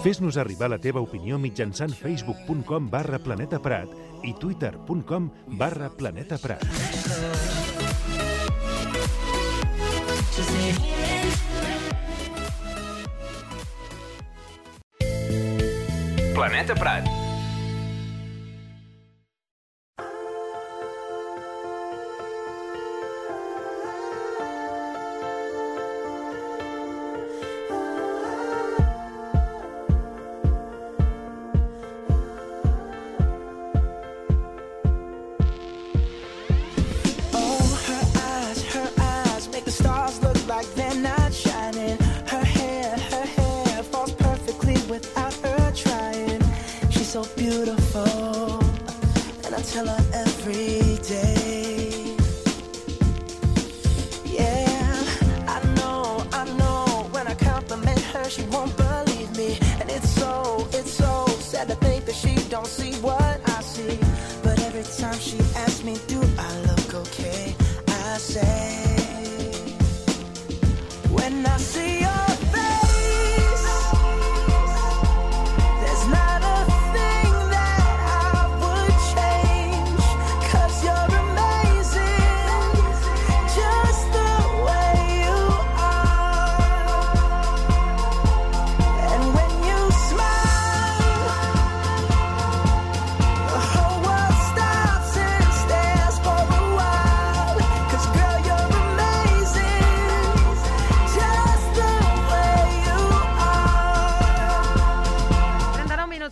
Fes-nos arribar la teva opinió mitjançant facebook.com/planetaprat i twitter.com/planetaprat. Planeta Prat.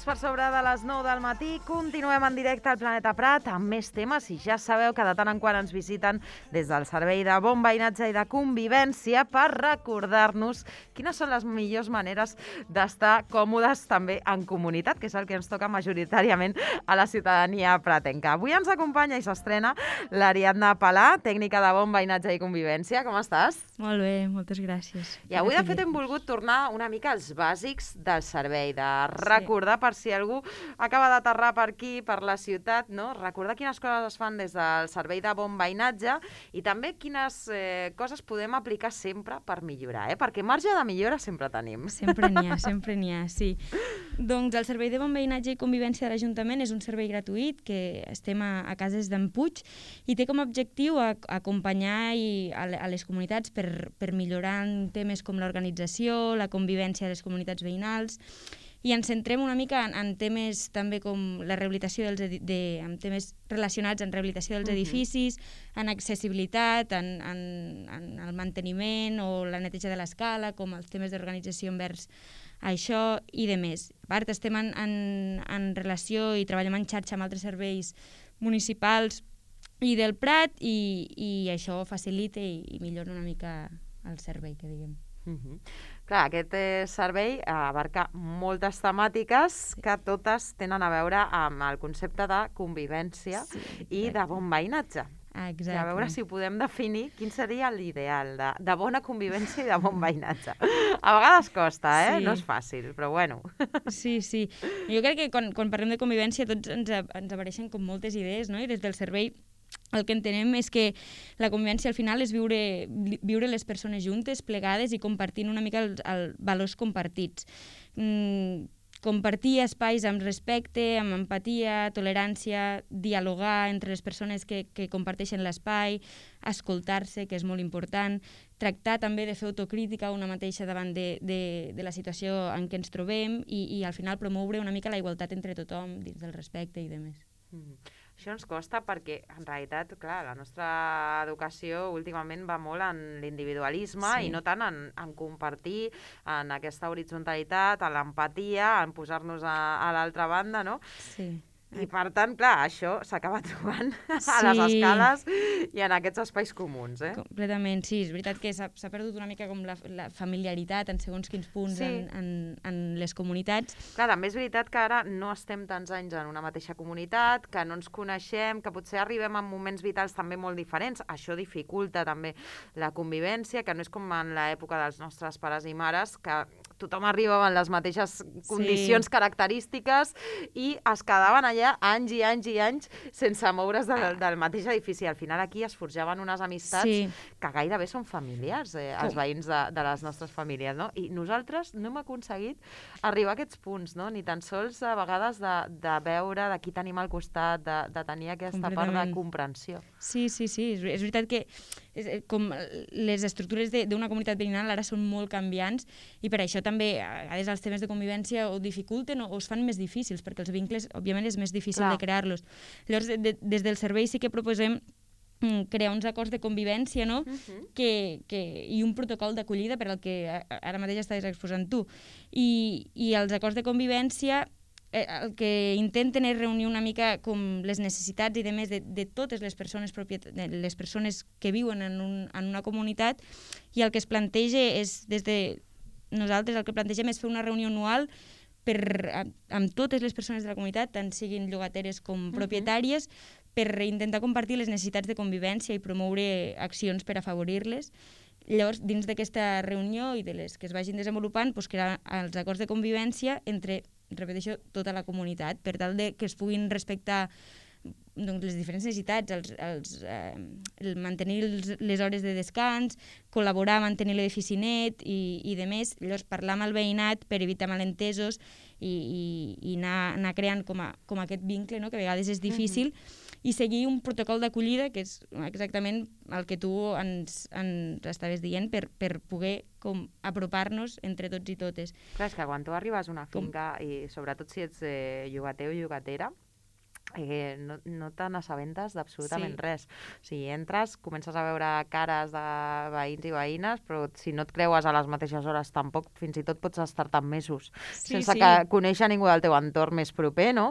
Per sobre de les 9 del matí, continuem en directe al Planeta Prat amb més temes i ja sabeu que de tant en quant ens visiten des del Servei de Bon Veïnatge i de Convivència per recordar-nos quines són les millors maneres d'estar còmodes també en comunitat, que és el que ens toca majoritàriament a la ciutadania pratenca. Avui ens acompanya i s'estrena l'Ariadna Palà, tècnica de Bon Veïnatge i Convivència. Com estàs? Molt bé, moltes gràcies. I avui, de fet, hem volgut tornar una mica als bàsics del servei, de recordar, per si algú acaba d'aterrar per aquí, per la ciutat, no? Recordar quines coses es fan des del servei de Bon Veïnatge i també quines coses podem aplicar sempre per millorar, perquè marge de millora sempre tenim. Sempre n'hi ha, sí. Doncs el Servei de Bon Veïnatge i Convivència de l'Ajuntament és un servei gratuït que estem a cases d'en Puig i té com a objectiu acompanyar a les comunitats per millorar en temes com l'organització, la convivència de les comunitats veïnals, i ens centrem una mica en temes també com la rehabilitació en temes relacionats amb rehabilitació dels edificis, en accessibilitat, en el manteniment o la neteja de l'escala, com els temes d'organització envers això i de més. A part, estem en relació i treballem en xarxa amb altres serveis municipals i del Prat i això facilita i millora una mica el servei, que diguem. Clar, aquest servei abarca moltes temàtiques que totes tenen a veure amb el concepte de convivència i de bon veïnatge. Exacte. A veure si podem definir quin seria l'ideal de bona convivència i de bon veïnatge. A vegades costa, Sí. No és fàcil, però bueno. Sí. Jo crec que quan parlem de convivència tots ens apareixen com moltes idees, no? I des del servei el que entenem és que la convivència al final és viure les persones juntes, plegades i compartint una mica els valors compartits. Compartir espais amb respecte, amb empatia, tolerància, dialogar entre les persones que comparteixen l'espai, escoltar-se, que és molt important, tractar també de fer autocrítica una mateixa davant de la situació en què ens trobem i al final promoure una mica la igualtat entre tothom dins del respecte i demés. Això ens costa perquè, en realitat, clar, la nostra educació últimament va molt en l'individualisme i no tant en compartir, en aquesta horitzontalitat, en l'empatia, en posar-nos a l'altra banda, no? Sí. I, per tant, clar, això s'acaba trobant a les escales i en aquests espais comuns, Completament, sí. És veritat que s'ha perdut una mica com la familiaritat en segons quins punts en les comunitats. Clar, també és veritat que ara no estem tants anys en una mateixa comunitat, que no ens coneixem, que potser arribem en moments vitals també molt diferents. Això dificulta també la convivència, que no és com en l'època dels nostres pares i mares, que tothom arribava en les mateixes condicions característiques i es quedaven allà anys i anys i anys sense moure's del mateix edifici. Al final aquí es forjaven unes amistats que gairebé són familiars, els veïns de les nostres famílies, no? I nosaltres no hem aconseguit arribar a aquests punts, no? Ni tan sols a vegades de veure de qui tenim al costat, de tenir aquesta part de comprensió. Sí, és veritat que com les estructures d'una comunitat veïnal ara són molt canviants i per això també a vegades els temes de convivència o dificulten o es fan més difícils, perquè els vincles, òbviament, és més difícil de crear-los. Llavors, des del servei sí que proposem crear uns acords de convivència, no? I un protocol d'acollida per al que ara mateix estaves exposant tu. I els acords de convivència el que intenten és reunir una mica com les necessitats i demés de totes les persones que viuen en una comunitat, i el que es planteja és, des de nosaltres el que plantegem és fer una reunió anual amb totes les persones de la comunitat, tant siguin llogateres com propietàries, per intentar compartir les necessitats de convivència i promoure accions per afavorir-les. Llavors, dins d'aquesta reunió i de les que es vagin desenvolupant, crear els acords de convivència entre, repeteixo, tota la comunitat, per tal que es puguin respectar les diferents necessitats, mantenir les hores de descans, col·laborar a mantenir l'edifici net i de més. Llavors, parlar amb el veïnat per evitar malentesos i anar creant com aquest vincle, no? Que a vegades és difícil, i seguir un protocol d'acollida, que és exactament el que tu ens estaves dient, per poder apropar-nos entre tots i totes. Clar, és que quan tu arribes a una finca, i sobretot si ets llogater o llogatera, no te n'assabentes d'absolutament res. O sigui, entres, comences a veure cares de veïns i veïnes, però si no et creues a les mateixes hores tampoc, fins i tot pots estar-te mesos sense que conèixer ningú del teu entorn més proper, no?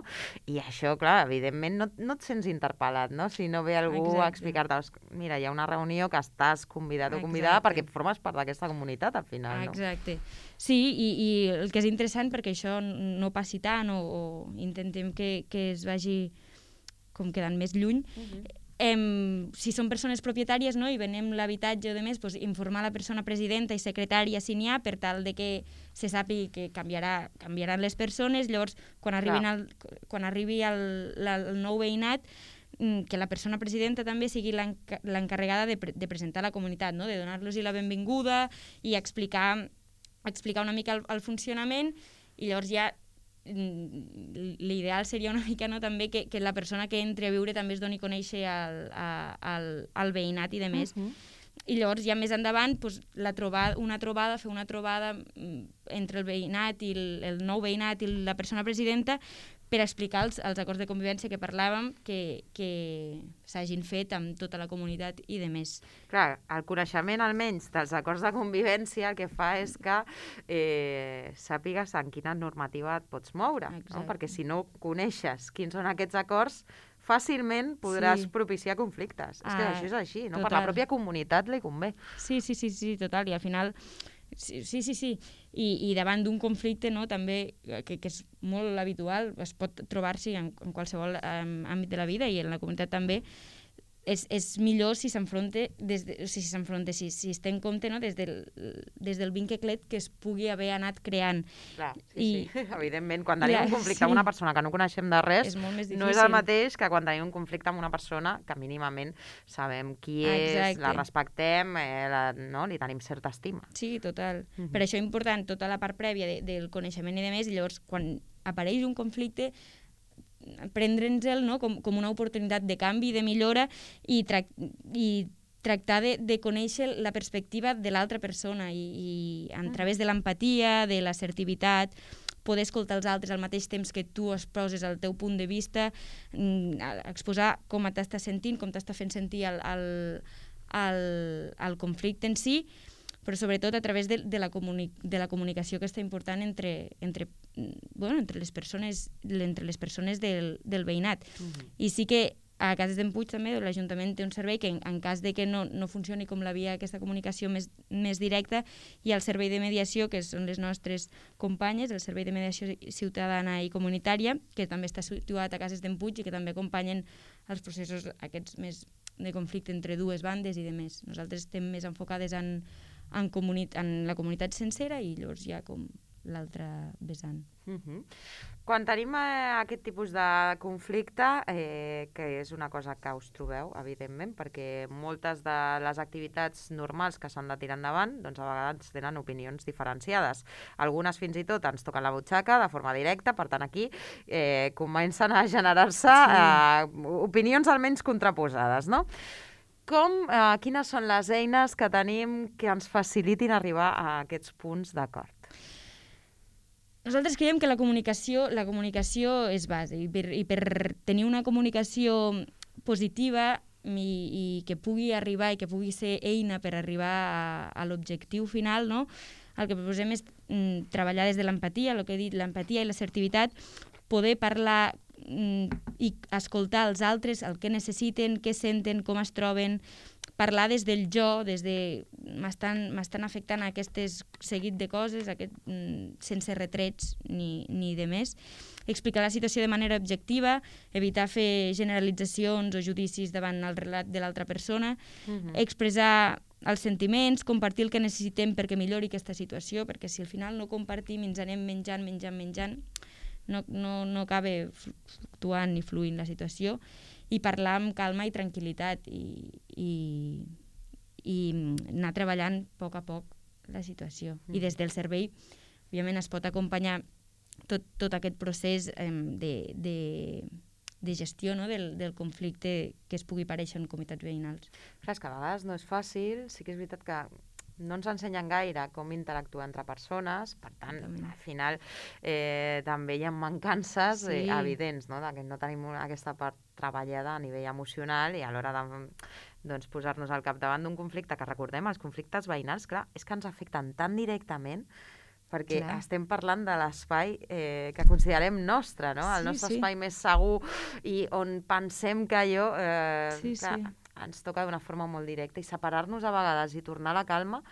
I això, clar, evidentment no et sents interpel·lat, no? Si no ve algú a explicar-te, mira, hi ha una reunió que estàs convidat o convidada perquè formes part d'aquesta comunitat, al final, no? Exacte. Sí, i el que és interessant, perquè això no passi tant o intentem que es vagi com quedant més lluny, si són persones propietàries, no, i venem l'habitatge o de més, informar la persona presidenta i secretària si n'hi ha, per tal de que se sàpiga que canviaran les persones. Llavors, quan arribi el nou veïnat, que la persona presidenta també sigui l'encarregada de presentar a la comunitat, no? De donar-los la benvinguda i explicar una mica el funcionament, i llavors ja l'ideal seria una mica, no, també que la persona que entri a viure també es doni a conèixer al veïnat i de més. I llavors ja més endavant fer una trobada entre el veïnat i el nou veïnat i la persona presidenta per explicar els acords de convivència que parlàvem, que s'hagin fet amb tota la comunitat i de més. Clar, el coneixement almenys dels acords de convivència el que fa és que sàpigues en quina normativa et pots moure, no? Perquè si no coneixes quins són aquests acords, fàcilment podràs propiciar conflictes. És que això és així, no? Per la pròpia comunitat li convé. Sí, total, i al final... Sí. I davant d'un conflicte, no, també, que és molt habitual, es pot trobar-s'hi en qualsevol àmbit de la vida i en la comunitat també, és millor si s'enfronta, si es té en compte, no, des del vincle que es pugui haver anat creant. Clar, sí. Evidentment, quan tenim un conflicte amb una persona que no coneixem de res, no és el mateix que quan tenim un conflicte amb una persona que mínimament sabem qui és, la respectem, no? Li tenim certa estima. Sí, total. Per això és important tota la part prèvia del coneixement i de més, i llavors quan apareix un conflicte, prendre'ns-el, no, com una oportunitat de canvi, de millora, i tractar de conèixer la perspectiva de l'altra persona i a través de l'empatia, de l'assertivitat, poder escoltar els altres al mateix temps que tu exposes el teu punt de vista, exposar com t'estàs sentint, com t'està fent sentir el conflicte en si, però sobretot a través de la comunicació que està important entre les persones del veïnat. I sí que a Cases d'en Puig també l'Ajuntament té un servei que en cas de que no funcioni com la via aquesta comunicació més directa, hi ha el servei de mediació, que són les nostres companyes, el servei de mediació ciutadana i comunitària, que també està situat a Cases d'en Puig i que també acompanyen els processos aquests més de conflicte entre dues bandes i de més. Nosaltres estem més enfocades en la comunitat sencera, i llavors hi ha com l'altre vessant. Quan tenim aquest tipus de conflicte, que és una cosa que us trobeu, evidentment, perquè moltes de les activitats normals que s'han de tirar endavant, doncs a vegades tenen opinions diferenciades. Algunes fins i tot ens toquen la butxaca de forma directa, per tant aquí comencen a generar-se opinions almenys contraposades, no? Quines són les eines que tenim que ens facilitin arribar a aquests punts d'acord? Nosaltres creiem que la comunicació és base i per tenir una comunicació positiva i que pugui arribar i que pugui ser eina per arribar a l'objectiu final, no? El que proposem és treballar des de l'empatia, el que he dit, l'empatia i l'assertivitat, poder parlar i escoltar els altres, el que necessiten, què senten, com es troben, parlar des del jo, des de m'estan afectant aquestes seguit de coses, sense retrets ni de més, explicar la situació de manera objectiva, evitar fer generalitzacions o judicis davant el relat de l'altra persona, expressar els sentiments, compartir el que necessitem perquè millori aquesta situació, perquè si al final no compartim i ens anem menjant, no acaba fluctuant ni fluint la situació, i parlar amb calma i tranquil·litat i anar treballant a poc la situació. I des del servei, òbviament, es pot acompanyar tot aquest procés de gestió, no? del conflicte que es pugui aparèixer en comunitats veïnals. Clar, és que a vegades no és fàcil, sí que és veritat que no ens ensenyen gaire com interactuar entre persones, per tant, al final també hi ha mancances evidents, no? Que no tenim aquesta part treballada a nivell emocional i a l'hora de posar-nos al capdavant d'un conflicte, que recordem, els conflictes veïnals, clar, és que ens afecten tan directament perquè estem parlant de l'espai que considerem nostre, no? El nostre espai més segur i on pensem que allò ens toca d'una forma molt directa, i separar-nos a vegades i tornar a la calma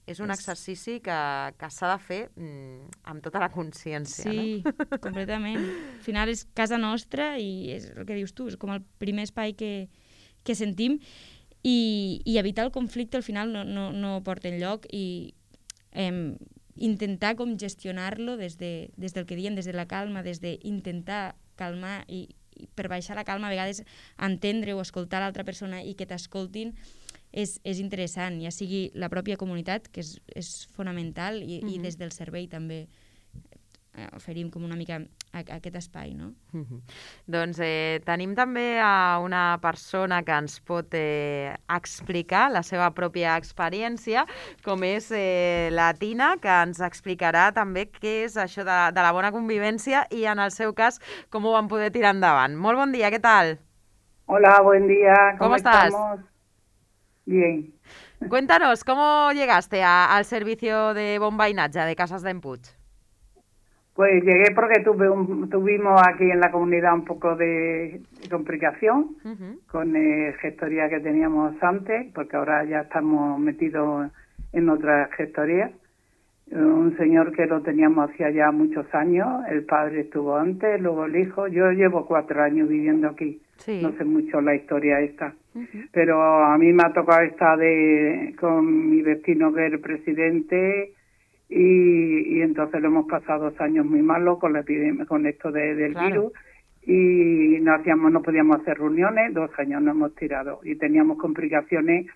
és un exercici que s'ha de fer amb tota la consciència. Sí, completament. Al final és casa nostra i és el que dius tu, és com el primer espai que sentim, i evitar el conflicte al final no porta enlloc, i intentar com gestionar-lo des del que diem, des de la calma, des d'intentar calmar i per baixar la calma a vegades entendre o escoltar l'altra persona i que t'escoltin és interessant, ja sigui la pròpia comunitat, que és fonamental, i des del servei també oferim com una mica aquest espai, no? Doncs tenim també a una persona que ens pot explicar la seva pròpia experiència, com és la Tina, que ens explicarà també què és això de la bona convivència i, en el seu cas, com ho van poder tirar endavant. Molt bon dia, què tal? Hola, buen día. ¿Cómo estás? Estamos? Bien. Cuéntanos, ¿cómo llegaste al servicio de bombainaje de Casas d'en-Puig? Pues llegué porque tuvimos aquí en la comunidad un poco de complicación con gestoría que teníamos antes, porque ahora ya estamos metidos en otra gestoría. Un señor que lo teníamos hacía ya muchos años, el padre estuvo antes, luego el hijo. Yo llevo 4 años viviendo aquí, no sé mucho la historia esta, pero a mí me ha tocado estar con mi vecino que es el presidente. Y entonces lo hemos pasado 2 años muy malos con la epidemia, con esto del virus, y no podíamos hacer reuniones. 2 años no hemos tirado y teníamos complicaciones.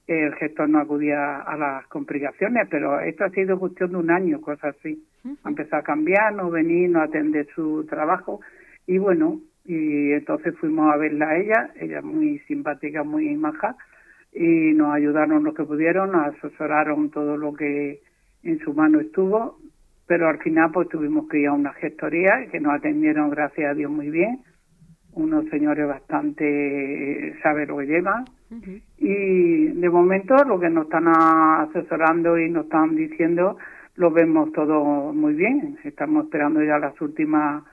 El gestor no acudía a las complicaciones, pero esto ha sido cuestión de 1 año, cosas así. Ha empezado a cambiar, no venir, no atender su trabajo, y bueno, y entonces fuimos a verla a ella es muy simpática, muy maja, y nos ayudaron lo que pudieron, nos asesoraron todo lo que en su mano estuvo, pero al final pues tuvimos que ir a una gestoría que nos atendieron, gracias a Dios, muy bien. Unos señores bastante saben lo que llevan, y de momento lo que nos están asesorando y nos están diciendo lo vemos todo muy bien. Estamos esperando ya las últimas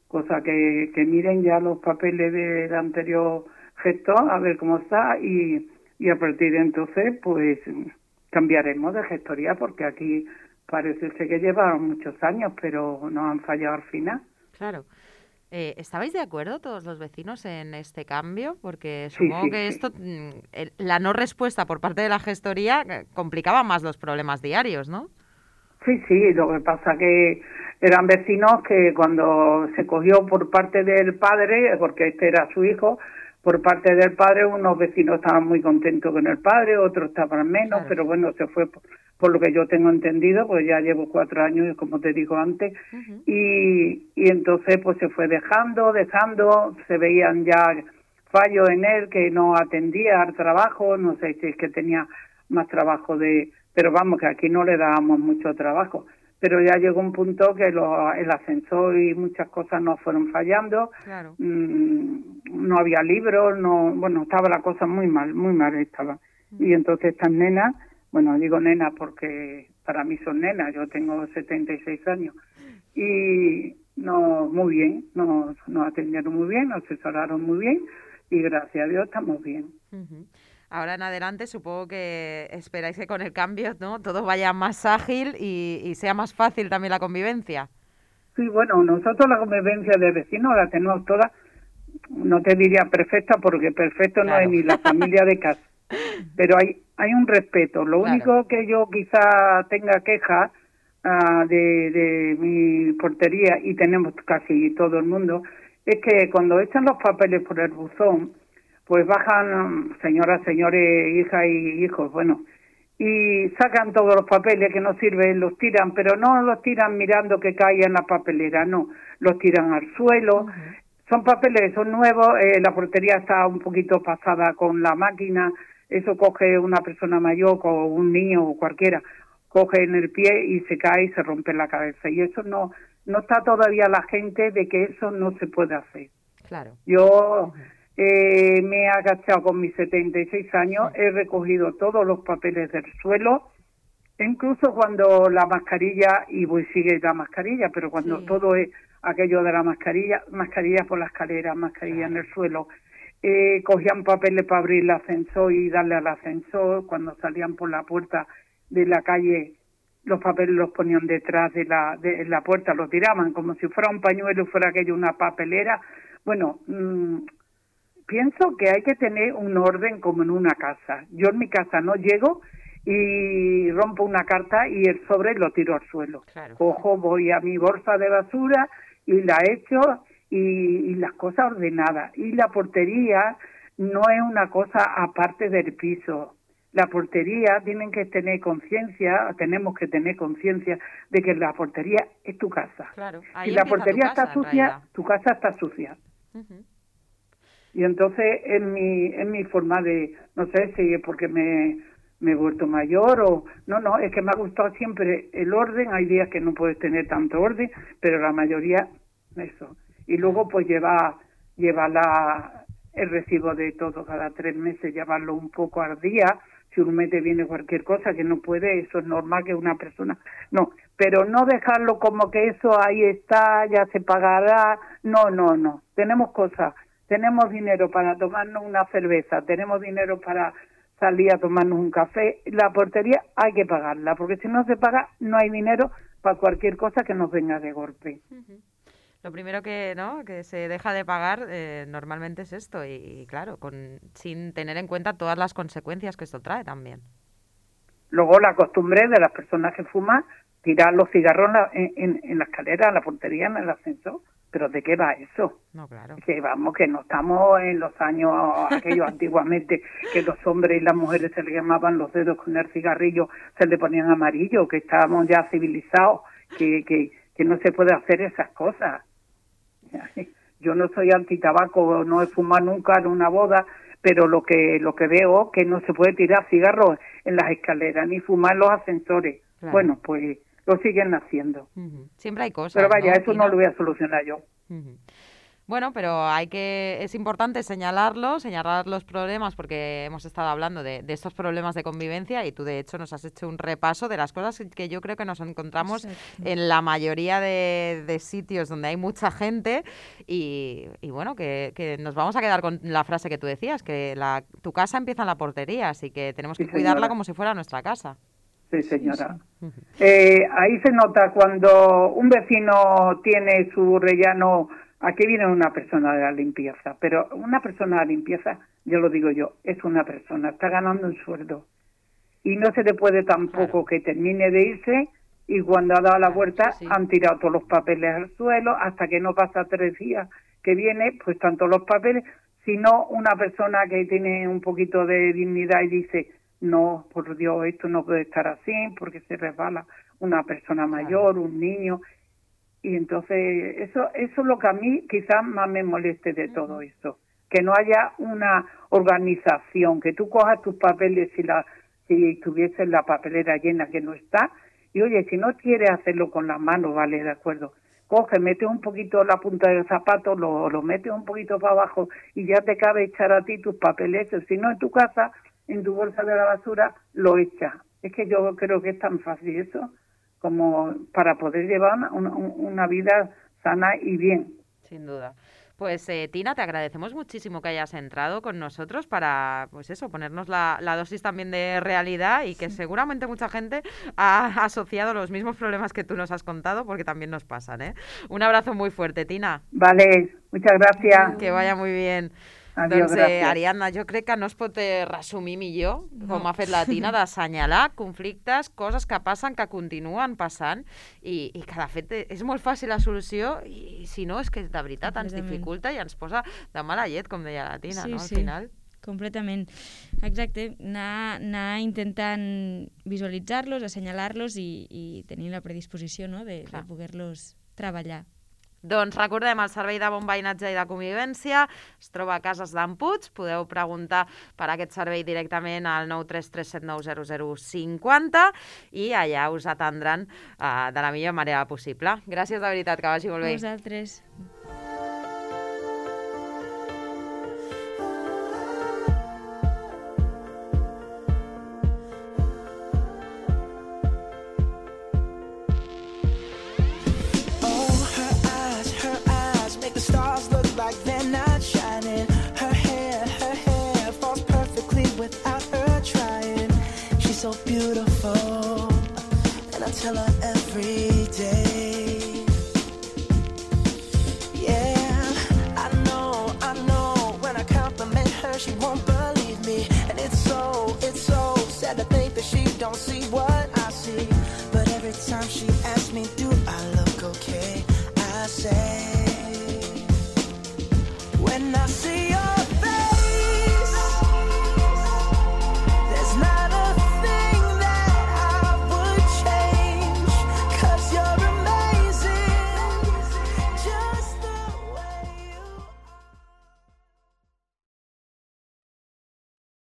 cosas que miren ya los papeles del anterior gestor, a ver cómo está, y a partir de entonces pues cambiaremos de gestoría, porque aquí parece ser que llevaron muchos años, pero nos han fallado al final. Claro. ¿Estabais de acuerdo todos los vecinos en este cambio? Porque supongo que esto, la no respuesta por parte de la gestoría complicaba más los problemas diarios, ¿no? Sí, lo que pasa que eran vecinos que cuando se cogió por parte del padre, porque este era su hijo, por parte del padre, unos vecinos estaban muy contentos con el padre, otros estaban menos, Claro. pero bueno, se fue por lo que yo tengo entendido, pues ya llevo 4 años, como te digo antes, y entonces pues se fue dejando, se veían ya fallos en él, que no atendía al trabajo, no sé si es que tenía más trabajo pero vamos, que aquí no le dábamos mucho trabajo. Pero ya llegó un punto que el ascensor y muchas cosas nos fueron fallando. Claro. No había libros, estaba la cosa muy mal estaba. Y entonces estas nenas, bueno, digo nenas porque para mí son nenas, yo tengo 76 años. Y muy bien, nos atendieron muy bien, nos asesoraron muy bien y gracias a Dios estamos bien. Ahora en adelante supongo que esperáis que con el cambio, ¿no?, todo vaya más ágil y sea más fácil también la convivencia. Sí, bueno, nosotros la convivencia de vecinos la tenemos toda, no te diría perfecta porque perfecto no es ni la familia de casa, pero hay un respeto. Lo único que yo quizá tenga queja de mi portería, y tenemos casi todo el mundo, es que cuando echan los papeles por el buzón, pues bajan señoras, señores, hijas y hijos, y sacan todos los papeles que no sirven, los tiran, pero no los tiran mirando que caiga en la papelera, no, los tiran al suelo. Son papeles, son nuevos, la portería está un poquito pasada con la máquina, eso coge una persona mayor o un niño o cualquiera, coge en el pie y se cae y se rompe la cabeza, y eso no está todavía la gente de que eso no se puede hacer. Claro. Yo me he agachado con mis 76 años, he recogido todos los papeles del suelo, incluso cuando la mascarilla, y sigue la mascarilla, pero cuando todo es aquello de la mascarilla por la escalera, mascarilla en el suelo, cogían papeles para abrir el ascensor y darle al ascensor, cuando salían por la puerta de la calle, los papeles los ponían detrás de la puerta, los tiraban como si fuera un pañuelo, fuera aquello una papelera. Pienso que hay que tener un orden como en una casa. Yo en mi casa no llego y rompo una carta y el sobre lo tiro al suelo. Claro. Cojo, voy a mi bolsa de basura y la echo y las cosas ordenadas. Y la portería no es una cosa aparte del piso. La portería tenemos que tener conciencia de que la portería es tu casa. Claro. Si la portería está sucia, tu casa está sucia. Y entonces es mi forma de, no sé si es porque me he vuelto mayor o... No, es que me ha gustado siempre el orden. Hay días que no puedes tener tanto orden, pero la mayoría, eso. Y luego pues lleva el recibo de todo cada 3 meses, llevarlo un poco al día. Si un mes te viene cualquier cosa que no puede, eso es normal que una persona... No, pero no dejarlo como que eso ahí está, ya se pagará. No. Tenemos cosas. Tenemos dinero para tomarnos una cerveza, tenemos dinero para salir a tomarnos un café. La portería hay que pagarla, porque si no se paga, no hay dinero para cualquier cosa que nos venga de golpe. Lo primero que se deja de pagar normalmente es esto, y claro, sin tener en cuenta todas las consecuencias que esto trae también. Luego la costumbre de las personas que fuman, tirar los cigarros en la escalera, en la portería, en el ascensor. ¿Pero de qué va eso? No, claro. Que vamos, que no estamos en los años aquellos antiguamente, que los hombres y las mujeres se le llamaban los dedos con el cigarrillo, se le ponían amarillo, que estábamos ya civilizados, que no se puede hacer esas cosas. Yo no soy antitabaco, no he fumado nunca en una boda, pero lo que veo que no se puede tirar cigarros en las escaleras, ni fumar en los ascensores. Claro. Bueno, pues... lo siguen haciendo. Siempre hay cosas. Pero vaya, eso Tina, no lo voy a solucionar yo. Bueno, pero es importante señalar los problemas, porque hemos estado hablando de estos problemas de convivencia y tú de hecho nos has hecho un repaso de las cosas que yo creo que nos encontramos en la mayoría de sitios donde hay mucha gente y bueno, que nos vamos a quedar con la frase que tú decías, que tu casa empieza en la portería, así que tenemos que cuidarla como si fuera nuestra casa. Sí, señora. Ahí se nota cuando un vecino tiene su rellano. Aquí viene una persona de la limpieza, pero una persona de la limpieza, yo lo digo yo, es una persona, está ganando un sueldo. Y no se le puede tampoco que termine de irse y cuando ha dado la vuelta sí. han tirado todos los papeles al suelo, hasta que no pasa 3 días que viene, pues están todos los papeles. Si no, una persona que tiene un poquito de dignidad y dice, no, por Dios, esto no puede estar así, porque se resbala una persona mayor, un niño. Y entonces eso es lo que a mí quizás más me moleste de todo eso, que no haya una organización, que tú cojas tus papeles si tuviese la papelera llena, que no está, y oye, si no quieres hacerlo con las manos, vale, de acuerdo, coge, mete un poquito la punta del zapato, lo metes un poquito para abajo y ya te cabe echar a ti tus papeles. Si no, en tu casa, en tu bolsa de la basura, lo echas. Es que yo creo que es tan fácil eso como para poder llevar una vida sana y bien. Sin duda. Pues Tina, te agradecemos muchísimo que hayas entrado con nosotros para, pues eso, ponernos la dosis también de realidad y que seguramente mucha gente ha asociado los mismos problemas que tú nos has contado, porque también nos pasan, ¿eh? Un abrazo muy fuerte, Tina. Vale, muchas gràcies. Que vaya muy bien. Adiós, Doncs, gràcies. Ariadna, jo crec que no es pot resumir millor, com ha fet la Tina, d'assenyalar conflictes, coses que passen, que continuen passant, i que, de fet, és molt fàcil la solució, i si no, és que de veritat ens dificulta i ens posa de mala llet, com deia la Tina, no? Al final. Completament. Exacte, anar intentant visualitzar-los, assenyalar-los i tenir la predisposició, no?, de poder-los treballar. Doncs recordem, el Servei de Bon Veïnatge i de Convivència es troba a Cases d'en Puig. Podeu preguntar per aquest servei directament al 933790050 i allà us atendran de la millor manera possible. Gràcies de veritat, que vagi molt bé. A vosaltres. So beautiful, and I tell her every day.